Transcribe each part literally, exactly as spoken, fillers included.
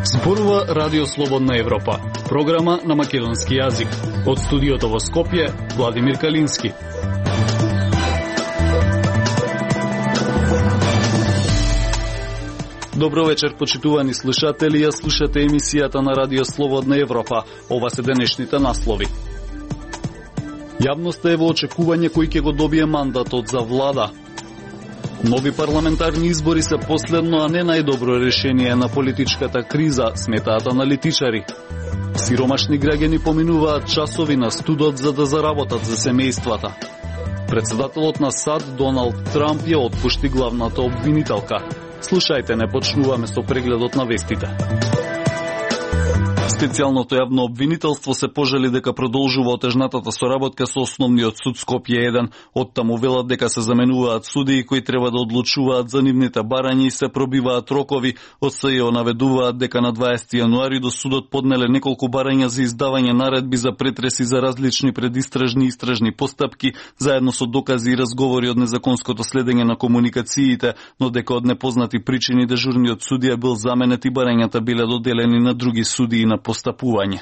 Зборува Радио Слободна Европа, програма на македонски јазик. Од студиото во Скопје, Владимир Калински. Добро вечер, почитувани слушатели, ја слушате емисијата на Радио Слободна Европа. Ова се денешните наслови. Јавноста е во очекување кој ќе го добие мандатот за влада. Нови парламентарни избори се последно, а не најдобро решение на политичката криза, сметаат аналитичари. Сиромашни граѓани поминуваат часови на студот за да заработат за семејствата. Председателот на САД Доналд Трамп ја отпушти главната обвинителка. Слушајте, не почнуваме со прегледот на вестите. Специјалното јавно обвинителство се пожали дека продолжува отежнатата соработка со Основниот суд Скопје еден. Оттаму велат дека се заменуваат судии кои треба да одлучуваат за нивните барања и се пробиваат рокови. Од СЈО наведуваат дека на дваесети јануари до судот поднеле неколку барања за издавање наредби за претреси за различни предистражни и истражни постапки, заедно со докази и разговори од незаконското следење на комуникациите, но дека од непознати причини дежурниот судија бил заменет и барањата биле доделени на други судии на постапување.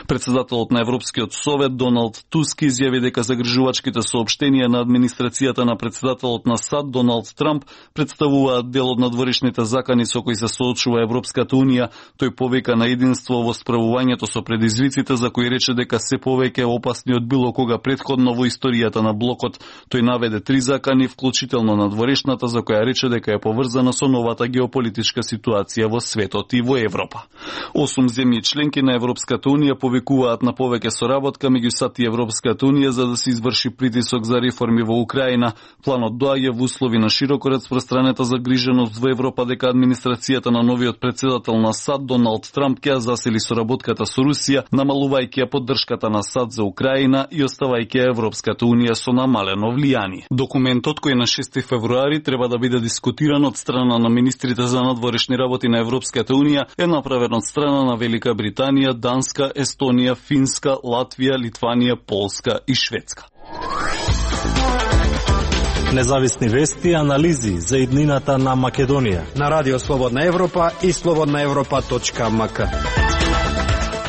Председателот на Европскиот совет Доналд Туск изјави дека загрижувачките соопштенија на администрацијата на председателот на САД Доналд Трамп представуваат дел од надворешните закани со кои се соочува Европската унија. Тој повика на единство во справувањето со предизвиците, за кои рече дека се повеќе опасни од било кога претходно во историјата на блокот. Тој наведе три закани, вклучително надворешната, за која рече дека е поврзана со новата геополитичка ситуација во светот и во Европа. Осум земји членки на Европската унија повикуваат на повеќе соработка меѓу САД и Европската унија за да се изврши притисок за реформи во Украина. Планот доаѓа во услови на широко распространета загриженост во Европа дека администрацијата на новиот председател на САД Доналд Трамп ќе засили соработката со Русија, намалувајќи ја поддршката на САД за Украина и оставајќи Европската унија со намалено влијание. Документот кој на шести февруари треба да биде дискутиран од страна на министрите за надворешни работи на Европската унија е направен од страна на Велика Британија, Данска, Естонија, Финска, Латвија, Литванија, Полска и Шведска. Независни вести и анализи за иднината на Македонија на Радио Слободна Европа и слободна европа точка ем ка.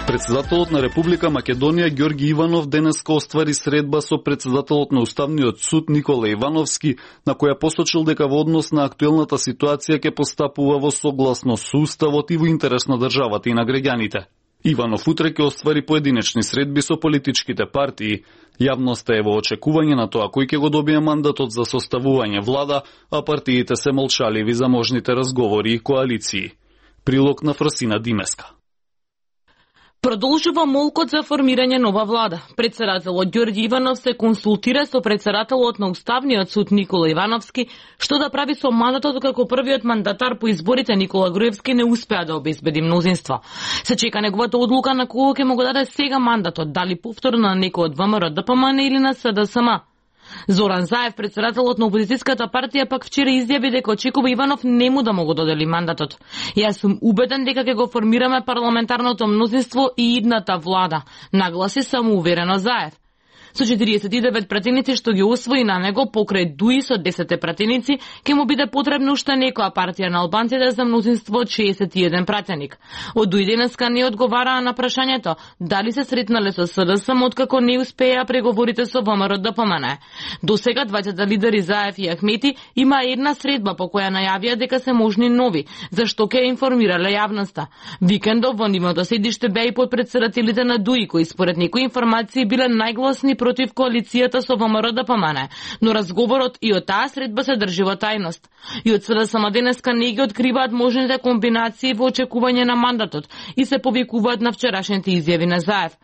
Председателот на Република Македонија Ѓорги Иванов денеска оствари средба со председателот на Уставниот суд Никола Ивановски, на која посочил дека во однос на актуелната ситуација ќе постапува во согласно со уставот и во интерес на државата и на граѓаните. Иванов утре ќе оствари поединечни средби со политичките партии. Јавноста е во очекување на тоа кој ќе го добие мандатот за составување влада, а партиите се молчаливи за можните разговори и коалиции. Прилог на Фросина Димеска. Продолжува молкот за формирање нова влада. Председателот Ѓорѓи Иванов се консултира со председателот на Уставниот суд Никола Ивановски, што да прави со мандатот како првиот мандатар по изборите Никола Груевски не успеа да обезбеди мнозинство. Се чека неговата одлука на кого ќе му го даде сега мандатот, дали повторно на некој од ВМРО Д П М Н или на С Д С М. Зоран Заев, председателот на опозицијската партија, пак вчера изјави дека очекува Иванов нему да му го додели мандатот. Јас сум убеден дека ќе го формираме парламентарното мнозинство и идната влада, нагласи самоуверено Заев. Со четириесет и девет пратеници што ги освои на него покрај Дуи со десет пратеници, ќе му биде потребно уште некоја партија на албанците за мнозинство од шеесет и еден пратеник. Од Дуи денеска не одговараа на прашањето дали се сретнале со С Д С М откако не успеа преговорите со В М Р Д П М Н. До сега двајцата лидери Заев и Ахмети има една средба по која најавија дека се можни нови, зашто ќе информирале јавноста. Викендов во нивното седиште беа и подпредседателите на Дуи, кои според некои информации биле најгласни против коалицијата со В М Р Д П М Н, но разговорот и од таа средба се држи во тајност. И од С Д С М денеска не ги откриваат можните комбинации во очекување на мандатот и се повикуваат на вчерашните изјави на Заев.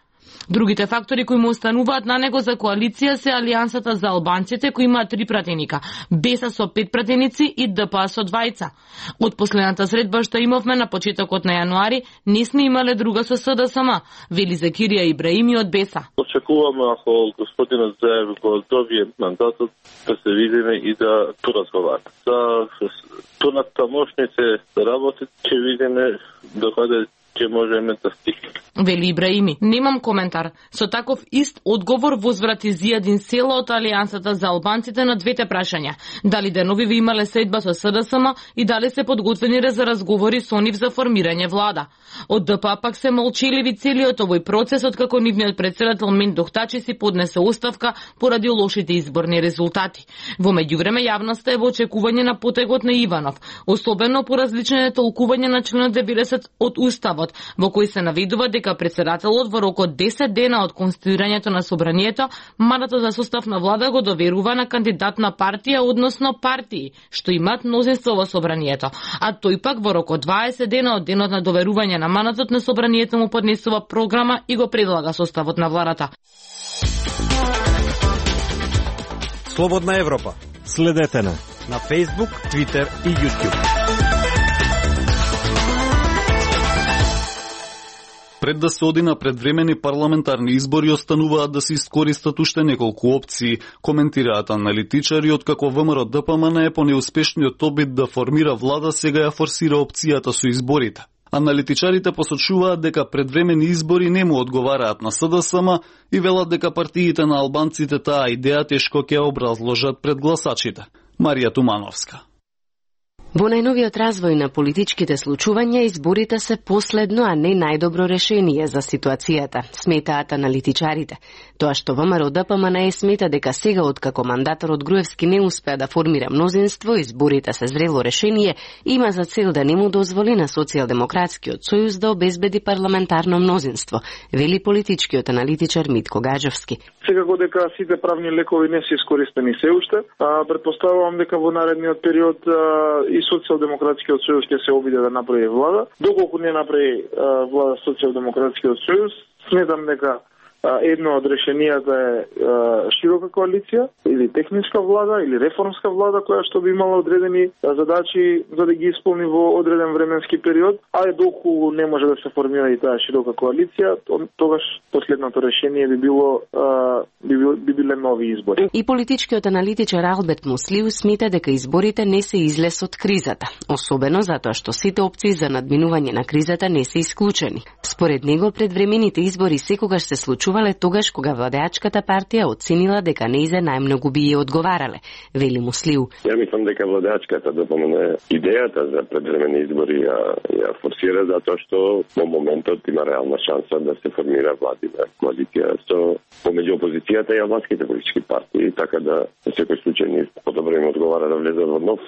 Другите фактори кои му остануваат на него за коалиција се Алијансата за албанците, кои имаат три пратеника, Беса со пет пратеници и Д П А со двајца. Од последната средба што имавме на почетокот на јануари, не сме имале друга со С Д С М, вели Закирија Ибраими од Беса. Очекуваме ако господинот Заев го добие мандатот да се видиме и да поразговараме. За понатамошните работи ќе видиме докаде ќе можеме да стигнеме. Вели Ибраими. Немам коментар. Со таков ист одговор возврати Зијадин Села од Алијансата за албанците на двете прашања. Дали деновиве имале средба со СДСМ и дали се подготвени за разговори со нив за формирање влада. Од ДПА пак се молчеливи целиот овој процес, откако нивниот председател Мендох Тачи си поднесе оставка поради лошите изборни резултати. Во меѓувреме јавноста е во очекување на потегот на Иванов, особено по различните толкувања на членот деветдесет од Уставот, во кој се наведува дека председателот во рок од десет дена од конституирањето на собранието, мандатот за состав на влада го доверува на кандидат на партија, односно партии, што имаат мнозинство во собранието, а тој пак во рок од дваесет дена од денот на доверување на мандатот на собранието му поднесува програма и го предлага составот на владата. Слободна Европа. Следете на на Facebook, Twitter и YouTube. Пред да се оди на предвремени парламентарни избори, остануваат да се искористат уште неколку опции, коментираат аналитичари, откако ВМРО Д П М Н е по неуспешниот обид да формира влада, сега ја форсира опцијата со изборите. Аналитичарите посочуваат дека предвремени избори не му одговараат на С Д С М и велат дека партиите на албанците таа идеја тешко ќе образложат пред гласачите. Марија Тумановска. Во најновиот развој на политичките случувања, изборите се последно, а не најдобро решение за ситуацијата, сметаат аналитичарите. Тоа што ВМРО Д П М Н Е смета дека сега, откако мандаторот Груевски не успеа да формира мнозинство, изборите се зрело решение, има за цел да не му дозволи на Социјалдемократскиот сојуз да обезбеди парламентарно мнозинство, вели политичкиот аналитичар Митко Гаджовски. Секако дека сите правни лекови не се искористени се уште, а предпоставувам дека во наредниот период а, и Социјалдемократскиот сојуз ќе се обиде да направи влада. Доколку не направи а, влада Социјалдемократскиот сојуз, сметам дека едно од решенијата е широка коалиција или техничка влада или реформска влада која што би имала одредени задачи за да ги исполни во одреден временски период, а доколку не може да се формира и таа широка коалиција, тогаш последното решение би било би, би биле нови избори. И политичкиот аналитичар Алберт Муслиу смета дека изборите не се излез од кризата, особено затоа што сите опции за надминување на кризата не се исклучени. Според него, предвремените избори секогаш се случувале тогаш кога владеачката партија оценила дека неизе најмногу би ја одговарале, вели Муслиу. Ја мислам дека владеачката да помине идејата за предвремени избори ја, ја форсира затоа што во моментот има реална шанса да се формира владина коалиција со помеѓу опозицијата и албанските политички партии, така да во секој случај ни подобро им одговара да влезат во нов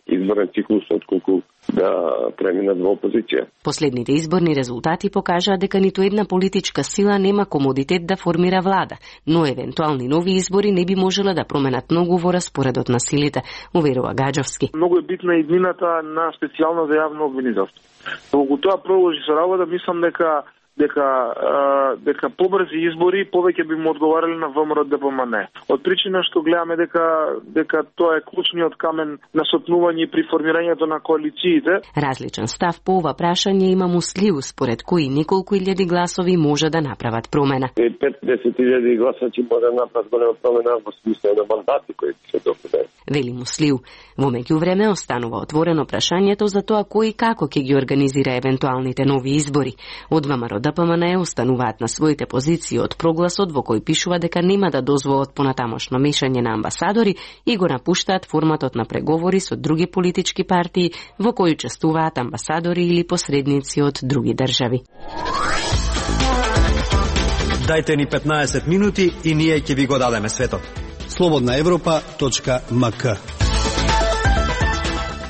изборен циклус отколку да преминат во опозиција. Последните изборни резултати покажаа дека ниту една политичка сила нема комодитет да формира влада, но евентуални нови избори не би можеле да променат многу во распоредот на силите, уверува Гаджовски. Многу е битна иднината на специјално за јавно обвинителство. Доколку тоа продолжи со работа, мислам дека дека а, дека побрзи избори повеќе би му одговарале на ВМРО Д П М Н Е. Од причина што гледаме дека дека тоа е клучниот камен на сопнување при формирањето на коалициите. Различен став по ова прашање има Муслиу, според кои неколку илјади гласови може да направат промена. пет до десет илјади гласачи може да направат голема промена во смисло на мандати кои се добиваат. Вели Муслиу. Во меѓувреме останува отворено прашањето за тоа кој и како ќе ги организира евентуалните нови избори. Од ВМРО Д П М Н Е остануваат на своите позиции од прогласот во кој пишува дека нема да дозволат понатамошно мешање на амбасадори и го напуштаат форматот на преговори со други политички партии во кои учествуваат амбасадори или посредници од други држави. Дајте ни петнаесет минути и ние ќе ви го дадеме светот. слободна европа точка м к.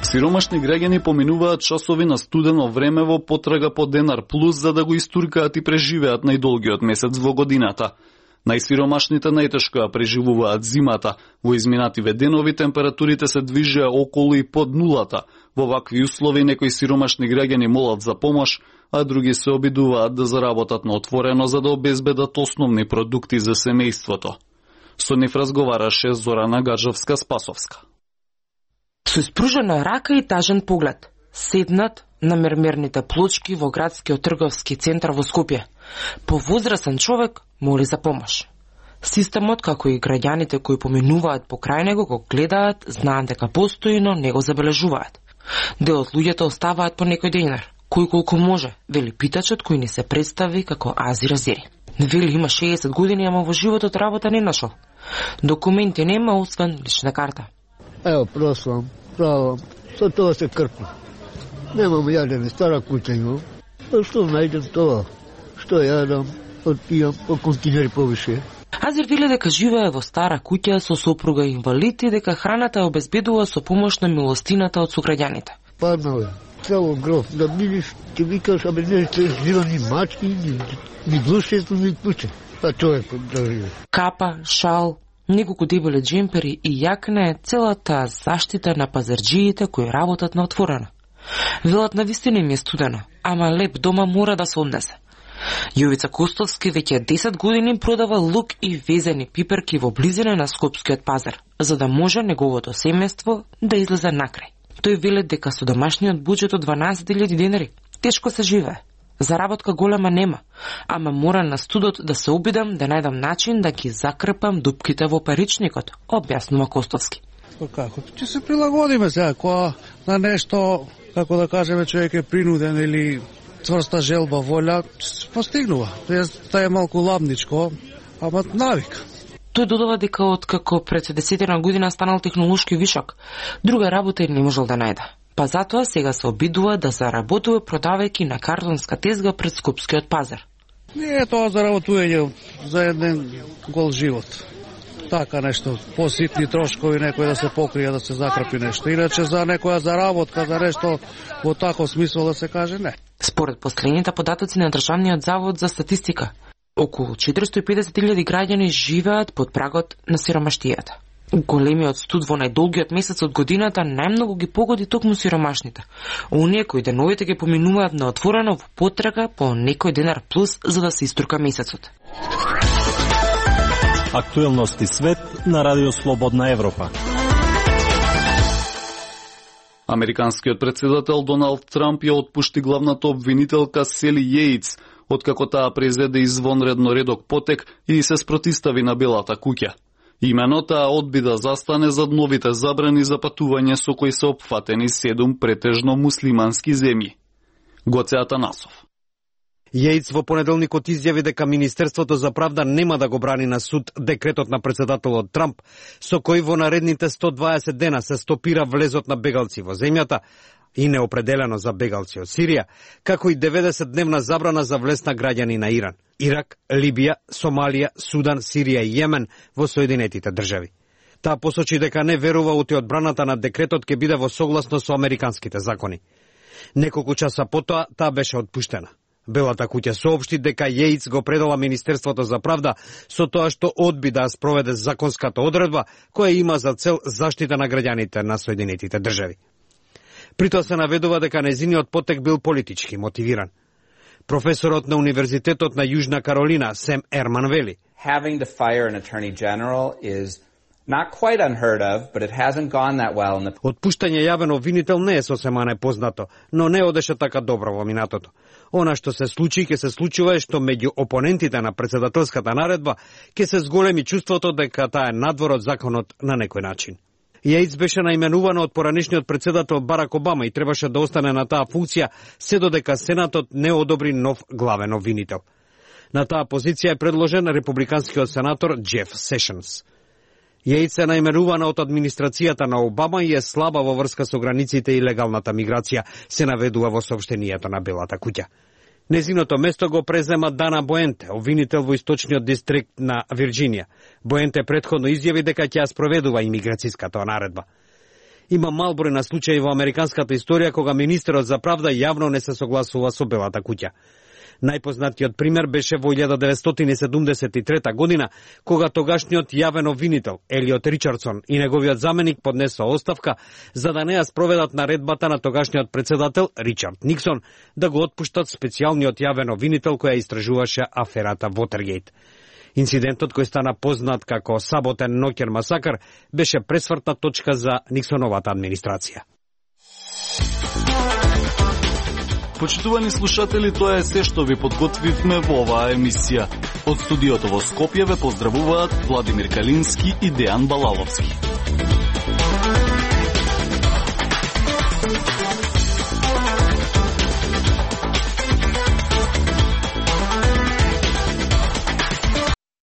Сиромашни граѓани поминуваат часови на студено време во потрага по Денар Плюс за да го истуркаат и преживеат најдолгиот месец во годината. Најсиромашните најтешко ја преживуваат зимата. Во изминативе денови температурите се движеа околу и под нулата. Во вакви услови некои сиромашни граѓани молат за помош, а други се обидуваат да заработат на отворено за да обезбедат основни продукти за семејството. Со нив разговараше Зорана Гаджовска-Спасовска. Со испружена рака и тажен поглед, седнат на мермерните плочки во градскиот трговски центар во Скопје. Повозрасен човек моли за помош. Системот, како и граѓаните кои поминуваат покрај него, го гледаат, знаат дека постои, но не го забележуваат. Дел од луѓето оставаат по некој денар, Кој колку може, вели питачот кој ни се представи како Азир Азери. Вели има шеесет години, ама во животот работа не нашол. Документи нема, освен лична карта. Ево, прослам, правам, со тоа се крпам. Немам јадене, стара куќа имам. А што најдем тоа? Што јадам, отпијам по континери повише. Азир вели дека живее во стара куќа со сопруга инвалид и дека храната ја обезбедува со помош на милостината од сограѓаните. Паднал е, цело гров, да бидиш, ти викаш, абе не се жива ни мачки, ни, ни глушето, ни куќе. А тоа е да живе. Капа, шал, неколку дебеле джемпери и јакна е целата заштита на пазарџиите кои работат на отворено. Велат на вистина им е студено, ама леп дома мора да се однесе. Јовица Костовски веќе десет години продава лук и везени пиперки во близина на Скопскиот пазар, за да може неговото семејство да излезе накрај. Тој вели дека со домашниот буџет од дванаесет илјади денари тешко се живее. Заработка голема нема, ама мора на студот да се обидам да најдам начин да ги закрпам дупките во паричникот, објаснува Костовски. Како? Ќе се прилагодиме сега, кога на нешто, како да кажеме, човек е принуден или цврста желба, волја, постигнува. Тоа е малку ладничко, ама навик. Тој додава дека откако пред десетина година станал технолошки вишок, друга работа не можел да најде. Па затоа сега се обидува да заработува продавајќи на картонска тезга пред Скопскиот пазар. Не е тоа заработување за еден гол живот. Така нешто, поситни трошкови, некој да се покрие, да се закрпи нешто. Иначе за некоја заработка, за нешто во таков смисол да се каже не. Според последните податоци на Државниот завод за статистика, околу четиристо и педесет илјади граѓани живеат под прагот на сиромаштијата. Големиот студ во најдолгиот месец од годината најмногу ги погоди токму сиромашните. Оние кои деновите ги поминуваат на отворено во потрага по некој денар плюс за да се истурка месецот. Актуелности свет на Радио Слободна Европа. Американскиот председател Доналд Трамп ја отпушти главната обвинителка Сели Јејц, откако таа презеде извонредно редок потек и се спротистави на Белата куќа. Имено таа одби да застане зад новите забрани за патување со кои се опфатени седум претежно муслимански земји. Гоце Атанасов. Јејц во понеделникот изјави дека Министерството за правда нема да го брани на суд декретот на председателот Трамп, со кој во наредните сто дваесет дена се стопира влезот на бегалци во земјата и неопределено за бегалци од Сирија, како и деветдесет дневна забрана за влез на граѓани на Иран, Ирак, Либија, Сомалија, Судан, Сирија и Јемен во Соединетите држави. Таа посочи дека не верува ути одбраната на декретот ќе биде во согласно со американските закони. Неколку часа потоа таа беше отпуштена. Белата куќа соопшти дека Јејц го предала Министерството за правда со тоа што одби да спроведе законската одредба која има за цел заштита на граѓаните на Соединетите држави. При тоа се наведува дека незиниот потек бил политички мотивиран. Професорот на Универзитетот на Јужна Каролина, Сем Ерман вели: Having to fire an attorney general is not quite unheard of, but it hasn't gone that well in the... Отпуштање јавен обвинител не е сосема непознато, но не одеше така добро во минатото. Она што се случи, ќе се случува е што меѓу опонентите на председателската наредба ќе се зголеми чувството дека таа е надвор од законот на некој начин. Јејц беше наименувана од поранешниот председател Барак Обама и требаше да остане на таа функција се додека Сенатот не одобри нов главен обвинител. На таа позиција е предложен републиканскиот сенатор Джеф Сешенс. Јејц е наименувана од администрацијата на Обама и е слаба во врска со границите и легалната миграција, се наведува во соопштението на Белата куќа. Незиното место го презема Дана Боенте, обвинител во источниот дистрикт на Вирџинија. Боенте претходно изјави дека ќе ја спроведува имиграцијската наредба. Има мал број на случаи во американската историја кога министерот за правда јавно не се согласува со Белата куќа. Најпознатиот пример беше во илјада деветстотини седумдесет и трета година, кога тогашниот јавен обвинител Елиот Ричардсон и неговиот заменик поднесоа оставка за да не ја спроведат наредбата на тогашниот председател Ричард Никсон да го отпуштат специјалниот јавен обвинител која истражуваше аферата Вотергејт. Инцидентот кој стана познат како Саботен ноќен масакар беше пресвртна точка за Никсоновата администрација. Почитувани слушатели, тоа е се што ви подготвивме во оваа емисија. Од студиото во Скопје ве поздравуваат Владимир Калински и Дејан Балаловски.